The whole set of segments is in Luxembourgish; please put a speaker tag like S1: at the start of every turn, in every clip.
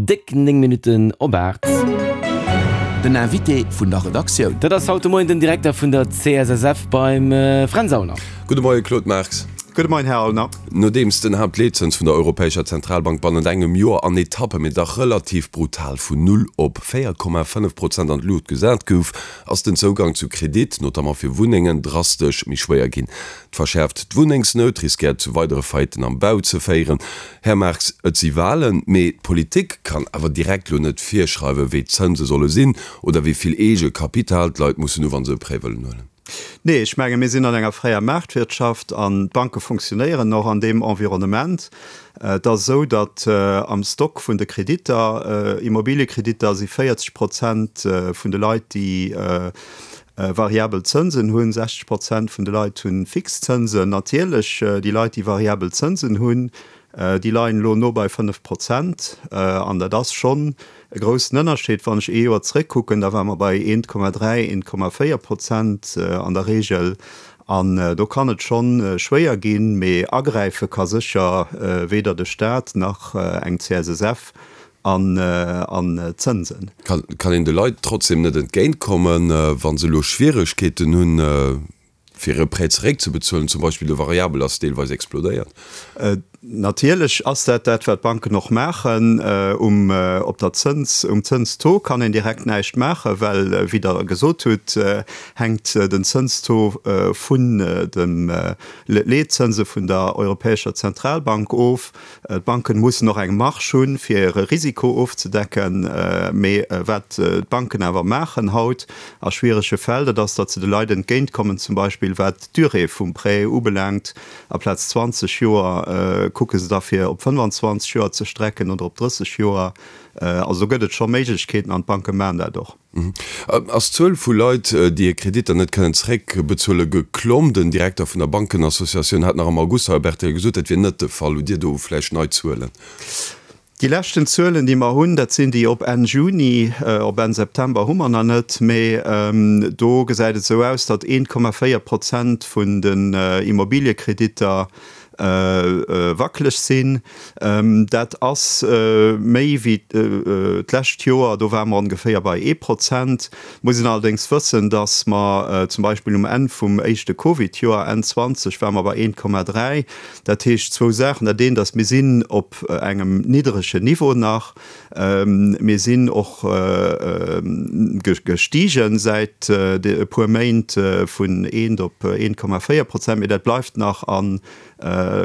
S1: Déck 9 Minutten op 8.
S2: Den Invité vun der Redaktioun.
S1: Dat ass haut de Moien den Direkter vun der CSSF beim Fränz Aulner.
S3: Gudde Moie Claude Marx.
S4: Gudde Moien Här Aulner.
S3: Nodeems den Haaptleetzëns vun der Europäescher Zentralbank bannent engem Joer an Etappe, mee dach relativ brutal vun null op 4,5 Prozent an d'Luucht gesat gouf, ass den Zougang zu Kredit, notamment fir Wunnengen, drastesch méi schwéier ginn. D'verschäerft d'Wunnengsnout riskéiert zu weidere Faillitten am Bau ze féieren. Här Marx, et si Wahlen, mee d'Politik kann awer direkt lo net virschreiwen, wéi d'Zënse solle sinn oder wéi vill Eegekapital d'Leit mussen hu wa se e Prêt wëllen huelen.
S4: Nee, ech menge mir sinn an enger fräier Maartwirtschaft an d'Banke funktionéieren och an deem Environnement. Et ass esou, datt am Stock vun de Kreditter, Immobiliekreditter, si 40 Prozent vun de Leit, déi variabel Zënsen hunn, 60 Prozent vun de Leit hu fix Zënsen. Natierlech, déi Leit, déi variabel Zënsen hunn, déi leien elo no bei 5 Prozent. An dat ass schonn e groussen Ënnerscheed. Wann ech ee Joer zeréckkucken, da ware mer bei 1,3, 1,4 Prozent an der Reegel. An do kann et schonn schwéier ginn. Mee agräife ka sécher weder de Staat nach eng CSSF. An Zënsen.
S3: Kann een de Leit trotzdem net entgéint kommen, wa se elo Schwieregkeeten hunn, fir e Prêt zeréckzebezuelen? Zum Beispill de Variabel ass deelweis explodéiert.
S4: Natierlech ass dat dat, wat d'Banken och maachen. Um op der Zëns, um Zënstaux kann een direkt näischt maachen, well, wéi Der gesot hutt, hänkt den Zënstaux vun de Leetzënse vun der Europäescher Zentralbank of. D'Banken mussen och eng Marge hunn, fir hire Risiko ofzedecken. Mee wat d'Banken awer maachen haut a schwierege Fäll, dat ass, datt se de Leit entgéintkommen, zum Beispill wat d'Durée vum Prêt ubelaangt. Aplaz 20 Joer kucke se da fir op 25 Joer ze strecken oder op 30 Joer. Also do gëtt et scho Méiglechkeeten an d'Banke maachen dat och.
S3: Ass d'Zuel vu Leit, déi hir Kreditter net kënnen zeréckbezuelen, geklomm? Den Direkter vun der Bankenassociatioun hat nach am August hei op rtl gesot, dat wier net de Fall. Hutt Dir do vläicht nei Zuelen?
S4: Déi leschten Zuelen, déi mer hunn, dat sinn déi op Enn Juni. Op Enn September hu mer nach net, mee do gesäit et esou aus, datt 1,4 Prozent vun den Immobiliekreditter wackeleg sinn. Dat ass méi wéi d'lescht Joer, do ware mer ongeféier bei ee Prozent. Muss een allerdéngs wëssen, datt mer zum Beispill um Enn vum éischte Covid-Joer, Enn 20, ware mer bei 1,3. Dat heescht zwou Saachen, Dat eent ass, mir sinn op engem niddregen Niveau nach. Mir sinn och gestigen säit e puer Méint vun eent op 1,4 Prozent, mee dat bleift nach a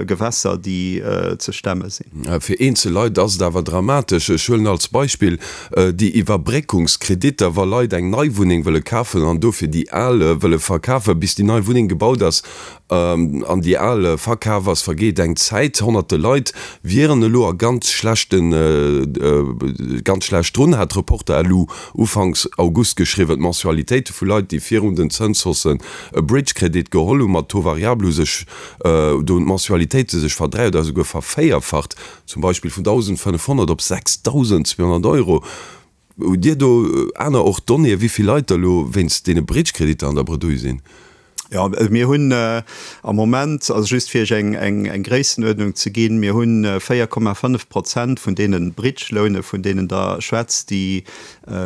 S4: Gewässer, déi ze stemme sinn.
S3: Fir eenzel Leit ass et awer dramatesch. Ech huelen als Beispill déi Iwwerbréckungskreditter, wa Leit eng nei Wunneng wëlle kafen an dofir déi al wëlle verkafen, bis déi nei Wunneng gebaut ass, An déi al verkaf ass, vergeet eng Zäit. Honnerte Leit wieren elo a ganz schlechten, ganz schlecht drun, hat Reporter.lu ufanks August geschriwwen. D'Mensualitéite vu Leit, déi virun den Zënshaussen e Bridge-Kredit geholl hu mat Taux variable, hu sech, do hunn d'Mensualitéite sech verdräi oder esouguer vervéierfacht, zum Beispill vun 1.500 op 6.200 Euro. Hutt Dir do aner och Donnéeë wéi vill Leit der elo wéinst deene Bridge-Kreditter an der Bredouille sinn?
S4: Jo, mir hunn am Moment, also just fir Iech eng Gréissenuerdnung ze ginn, mir hu 4,5 Prozent vun deene Bridge-Loune vun deenen Der schwätzt, déi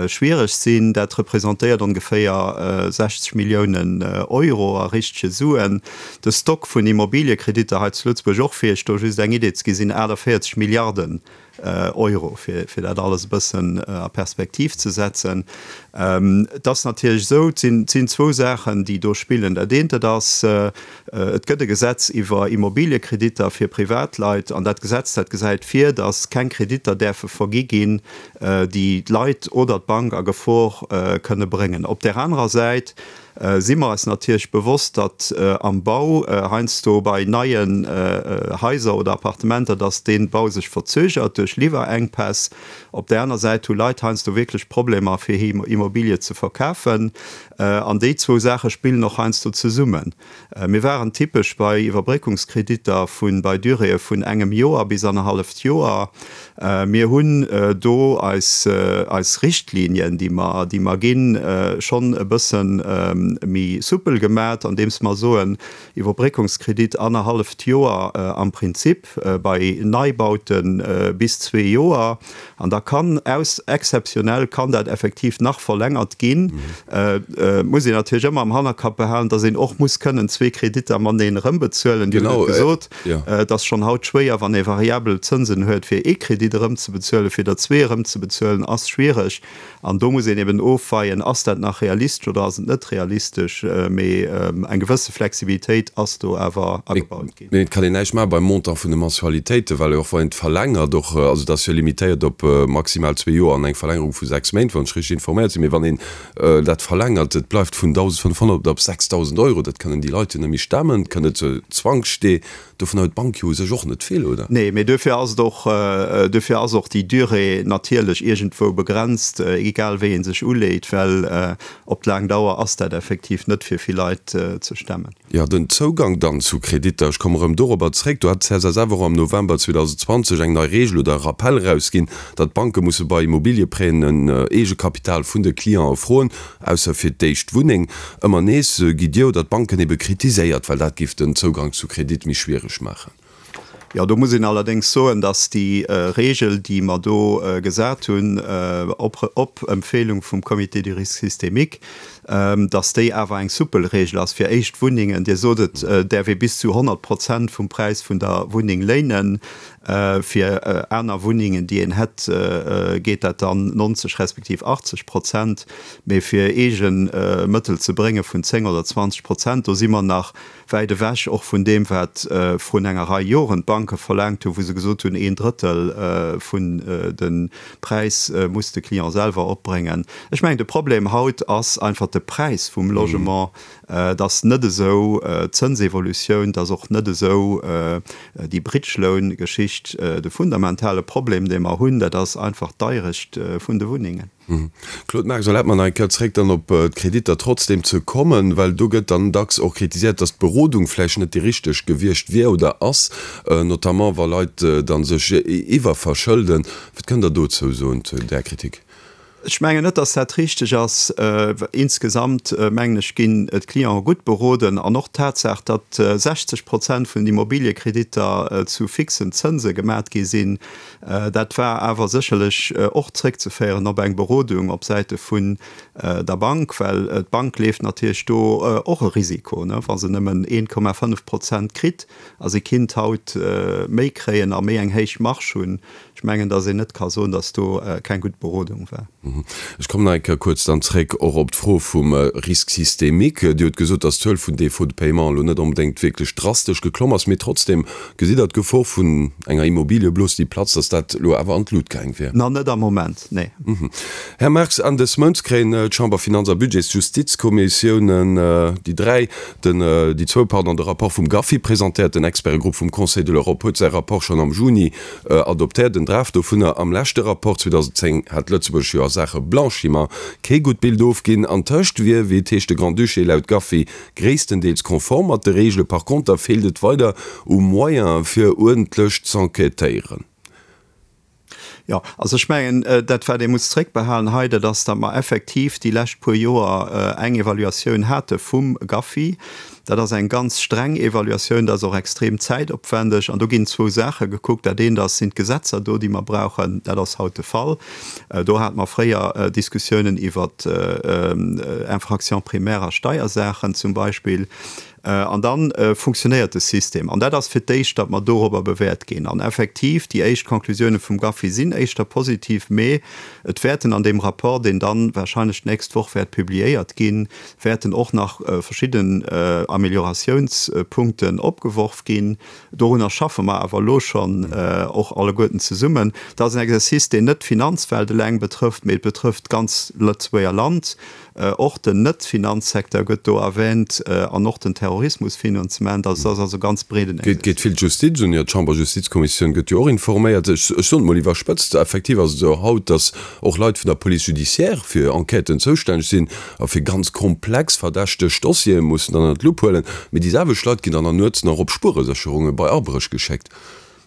S4: schwiereg sinn. Dat representéiert ongeféier 60 Milliounen Euro a richtege Suen. De Stock vun Immobiliekreditter hei zu Lëtzebuerg, och fir Iech do just eng Idee ze ginn, sinn 48 Milliarden Euro, fir dat alles e bëssen a Perspektiv ze setzen. Et ass natierlech esou, et sinn zwou Saachen, déi do spillen. Dat eent, dat ass, et gëtt e Gesetz iwwer Immobiliekreditter fir Privatleit, an dat Gesetz, dat gesäit vir, datt keng Kreditter däerfe vergi ginn, déi d'Leit oder d'Bank a Gefor kënne bréngen. Op där anerer Säit si mer eis natierlech bewosst, datt am Bau heiansdo bei neien Haiser oder Appartementer, datt dee Bau sech verzögert duerch Liwwerenkpäss. Op där aner Säit hu Leit heiansdo wierklech Problemer, fir hir Immobilie ze verkafen. An déi zwou Saache spillen och heiansdo zesummen. Mir waren typesch bei Iwwerbréckungskreditter vu bei Duréeë vun engem Joer bis annerhalleft Joer. Mir hunn do eis eis Richtlinien, déi mer déi mer ginn, schonn e bëssen. méi soupel gemat, andeems mer soen, Iwwerbréckungskredit annerhalleft Joer am Prinzip, bei Neibaute bis zwee Joer. An da kann aus, exzeptionell kann dat effektiv nach verlängert ginn. Et muss een natierlech ëmmer am Hannerkapp behalen, datt een och muss kënnen zwee Kreditter mateneen erëmbezuelen. Dir hutt et gesot, et ass schonn haut schwéier, wann ee variabel Zënsen huet, fir ee Kredit erëmzebezuelen. Fir der zwee erëmzebezuelen ass schwiereg. An do muss een eben ofweien, Ass dat nach realistesch oder ass et net realistesch? Mee eng gewësse Flexibilitéit ass do awer agebaut ginn.
S3: Mee et kann een näischt maache beim Montant vun de Mensualitéiten, well och wann een et verlängert, och, also et ass jo limitéiert op maximal zwee Joer an eng Verlängerung vu sechs Méint, wann ech richteg informéiert sinn, mee wann een dat verlängert, et bleift vun 1.500 op 6.000 Euro, dat kënnen déi Leit jo net méi stemmen, et kënnt net zur Zwangsstee. Dovun huet d'Bank jo u sech och net vill, oder?
S4: Nee, mee duerfir ass et och, duerfir ass och déi Durée natierlech iergendwou begrenzt, egal wéi ee sech uleet, well op d'laang Dauer ass dat effektiv net fir vill Leit ze stemmen.
S3: Jo, den Zougang dann zu Kreditter, ech komme rëm dorobber zréck, do hat d'CSSF och am November 2020 eng nei Reegel oder e Rappell erausginn, datt d'Banke musse bei Immobiliëprêten en Eegekapital vun de Clientë froen, Ausser fir d'éischt Wunneng. Ëmmer nees gitt Dir oder d'Banken ebe kritiséiert, well dat géif den Zougang zu Kredit méi schwiereg maachen.
S4: Jo, do muss een allerdéngs soen, datt déi Regel, déi mer do gesat hunn, op Empfehlung vum Comité du risque systémique, datt déi awer eng soupel Regel ass fir éischt Wunnengen. Dir sot et, däerf ee bis zu 100 Prozent vum Präis vun der Wunneng léinen. Fir aner Wunnengen, déi een hätt, geet dat dann 90 respektiv 80 Prozent. Mee fir eege Mëttel ze brénge vun 10 oder 20 Prozent, do si mer nach wäit ewech och vun deem, wat vrun enger Rei Joren d'Banke verlaangt hunn, wou se gesot hunn, een Drëttel vun de Präis muss de Client selwer opbréngen. Ech mengen, de Problem haut ass einfach de Präis vum Logement. Et ass net esou d'Zënsevolutioun, et ass och net esou déi Bridge-Loan-Geschicht. De fundamentale Problem, dee mer hunn, dat ass einfach d'Deirecht vun de Wunnengen.
S3: Claude Marx, Erlaabt mer nach eng Kéier zréck dann op d'Kreditter trotzdem ze kommen, well do gëtt dann dacks och kritiséiert, datt d'Berodung vläicht net déi richteg gewiescht wier oder ass, notamment wa Leit da sech iwwerverschëlden. Wat kënnt Der dozou soen, zu där Kritik?
S4: Ech mengen net, dass dat richteg ass. Insgesamt, mengen ech, ginn d'Clienten gutt beroden. An och d'Tatsaach, datt 60 Prozent vun den Immobiliekreditter zu fixen Zënse gemat gi sinn, dat war awer sécherlech och zréckzeféieren op eng Berodung op Säite vun der Bank, well d'Bank leeft natierlech do och e Risiko, wa se nëmmen 1,5 Prozent kritt a si kinnt haut méi kréien a méi eng héich Marge hunn. Ech mengen, datt een net ka soen, datt do keng gutt Berodung war.
S3: Ech kommen nach eng Kéier kuerz dann zréck och op d'Fro vum Risque systémique. Dir hutt gesot, datt d'Zuel vun Défauts de paiement elo net onbedéngt wierklech drastesch geklomm ass, mee trotzdem gesitt Der d'Gefor vun enger Immobiliëblos, déi platzt, datt dat elo awer an d'Lut gaang wier?
S4: Na, net am Moment, nee.
S3: Här Marx, Enn dës Mounts kréien d'Chamber-, Finanz a Budgets-Justizkommissiounen, déi dräi, den, déi zwou, pardon, de Rapport vum GAFI presentéiert. Den Expertegrupp vum Conseil de l'Europe huet säi Rapport schonn am Juni Adoptéiert en Draft dovunner. Am leschte Rapport 2010 hat Lëtzebuerg jo a Saache Blanchiment kee gutt Bild ofginn. Antëscht wier, wéi et heescht, de Grand-Duché laut GAFI gréisstendeels konform mat de Reegele. Par konter feelt et weider u Moyene fir uerdentlech z'enquêtéieren.
S4: Jo, also ech mengen, dat wat ee muss zréckbehalen hei, dat ass, datt mer effektiv déi lescht puer Joer eng Evaluatioun hate vum GAFI. Dat ass eng ganz streng Evaluatioun, dat ass och extrem zäitopwändeg an do ginn zwou Saache gekuckt. Dat eent ass, sinn d'Gesetzer do, déi mer brauchen? Dat ass haut de Fall. Do hate mer fréier Diskussiounen iwwer Infractions primaires a Steiersaachen zum Beispill. An da funktionéiert de System. An dat ass fir d'éischt, datt mer dorobber bewäert ginn. An effektiv, déi éischt Conclusiounen vum GAFI sinn éischter positiv, mee et wäerten an deem Rapport, deen dann wahrscheinlech d'nächst Woch wäert publiéiert ginn, wäerten och nach verschidden Amélioratiounspunkten opgeworf ginn. Dorunner schaffe mer awer elo schonn och alleguerten zesummen. Dat ass en Exercice, deen net d'Finanzwelt eleng betrëfft, mee et betrëfft d'ganz Lëtzebuerger Land. Och den Net-Finanzsecteur gëtt do erwähnt an och den Terrorismusfinanzement. Also dat ass also e ganz breeden
S3: Exercice. Geet vill d'Justiz un? Jo, d'Chamberjustizkommissioun gëtt jo och informéiert. Ech soen et mol iwwerspëtzt, effektiv ass et esou haut, datt och Leit vun der Police judiciaire fir Enquêten zoustänneg sinn a fir ganz komplex verdächteg Dossiere mussen dann ënner d'Lupp huelen. Mee déi selwecht Leit ginn dann an nuets nach op Spueresécherunge bei Abréch geschéckt.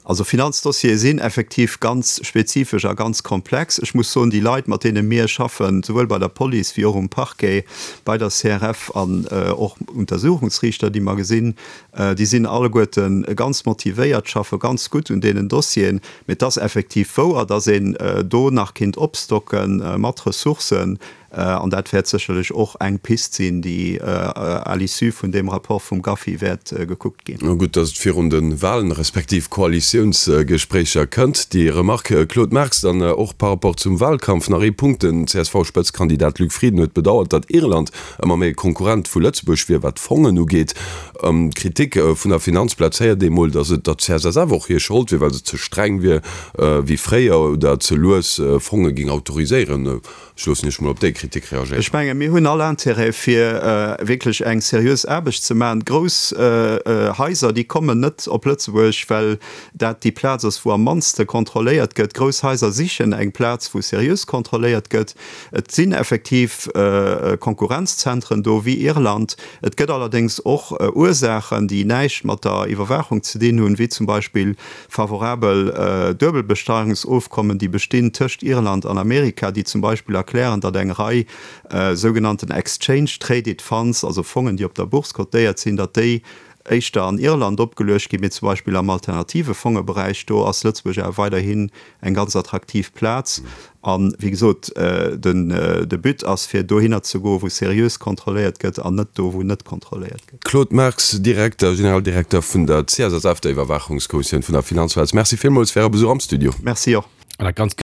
S4: Also Finanzdossiere sinn effektiv ganz spezifesch a ganz komplex. Ech muss soen, déi Leit, mat deene mir schaffen, souwuel bei der Police wéi och um Parquet, bei der CRF an och Untersuchungsriichter, déi mer gesinn, déi sinn alleguerte ganz motivéiert, schaffe ganz gutt un deenen Dossieren. Mee et ass effektiv wouer, datt een do nach kinnt opstocke mat Ressourcen. An dat wäert sécherlech och eng Pist sinn, déi à l'issue vun deem Rapport vum GAFI wäert gekuckt ginn.
S3: Gutt, datt et virun de Wahlen, respektiv Koalitiounsgespréicher kënnt, déi Remarque. Claude Marx, dann och par rapport zum Wahlkampf nach ee Punkt, Den CSV-Spëtzekandidat Luc Frieden huet bedauert, datt Irland ëmmer méi e Konkurrent vu Lëtzebuerg wier, wat d'Fongen ugeet. D'Kritik vun der Finanzplaz héiert ee mol, datt et der CSSF och hir Schold wier, well se ze streng wier wéi fréier oder ze lues Fonge géing autoriséieren. Ech loossen Iech mol op déi Kritik reagéieren.
S4: Ech menge mir hunn all Intérêt fir wierklech eng seriös Aarbecht ze maachen. Grouss Haiser, déi kommen net op Lëtzebuerg, well dat déi Plaz ass, wou am mannste kontrolléiert gëtt. Grouss Haiser sichen eng Plaz, wou seriös kontrolléiert gëtt. Et sinn effektiv Konkurrenzzentren do, wéi Irland. Et gëtt allerdéngs och Ursaachen, déi näischt mat der Iwwerwaachung ze dinn hunn, wéi zum Beispill Favorabel Duebelbesteierungsofkommen, déi bestinn tëscht Irland an Amerika, déi zum Beispill erklären, datt eng Rei sougenannten Exchange Traded Funds, also Fongen, déi op der Bourse cotéiert sinn, datt déi éischter an Irland opgeluecht ginn, mee zum Beispill am alternative Fongeberäich, do ass Lëtzebuerg awer weiderhin eng ganz attraktiv Plaz. A wéi gesot, de But ass, fir dohinner ze goen, wou seriös kontrolléiert gëtt an net do, wou net kontrolléiert gëtt.
S3: Claude Marx, Direkter, Generaldirekter vun der CSSF, der Iwwerwaachungskommissioun vun der Finanzplaz, Merci villmools fir Äre Besuch am Studio.
S4: Merci och.